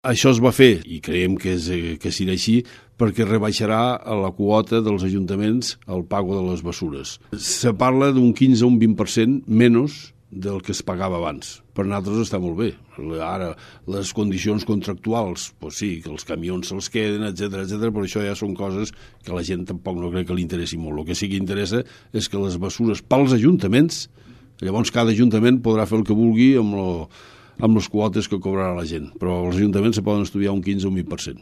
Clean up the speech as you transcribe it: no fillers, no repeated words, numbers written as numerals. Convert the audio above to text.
Això es va fer, i creiem que serà així, perquè rebaixarà la quota dels ajuntaments al pago de les bessures. Se parla d'un 15 o un 20% menys del que es pagava abans. Per nosaltres està molt bé. Ara, les condicions contractuals, doncs sí, que els camions se'ls queden, etc, però això ja són coses que a la gent tampoc no crec que li interessi molt. El que sí que interessa és que les bessures pels ajuntaments, llavors cada ajuntament podrà fer el que vulgui amb les quotes que cobrarà la gent, però els ajuntaments se poden estudiar un 15 o un 20%.